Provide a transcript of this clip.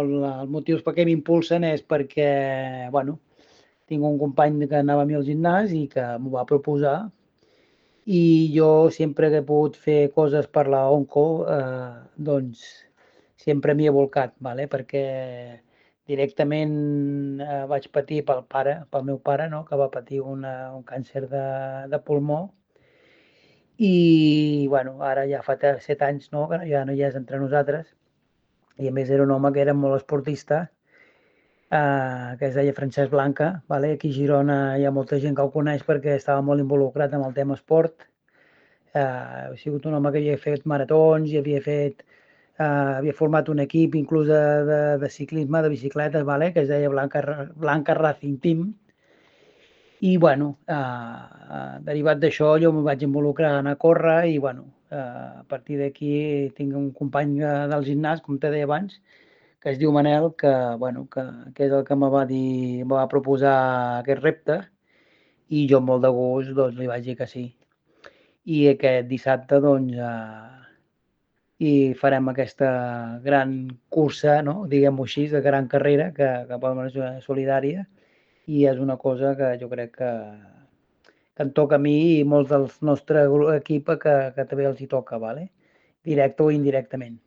Els motius per què m'impulsen és perquè, bueno, tinc un company que anava a mi al gimnàs i que m'ho va proposar i jo sempre que he pogut fer coses per la ONCO, doncs sempre m'hi he volcat, vale? Perquè directament vaig patir pel meu pare, no? Que va patir un càncer de pulmó i bueno, ara ja fa 7 anys no? Que ja no hi és entre nosaltres i a més era un home que era molt esportista, que es deia Francesc Blanca, vale? Aquí a Girona hi ha molta gent que el coneix perquè estava molt involucrat amb el tema esport. Ha sigut un home que havia fet maratons i havia format un equip inclús de ciclisme, de bicicletes, vale? Que es deia Blanca Racing Team. I bueno, derivat d'això jo em vaig involucrar a anar a córrer i bueno, a partir d'aquí tinc un company del gimnàs, com te deia abans, que es diu Manel, bueno, que és el que me va dir, me va proposar aquest repte i jo amb molt de gust doncs, li vaig dir que sí. I aquest dissabte doncs, i farem aquesta gran cursa, no? Diguem-ho així, de gran carrera que poden ser solidària i és una cosa que jo crec que em toca a mi i molts del nostre equip que també els hi toca, vale? Directe o indirectament.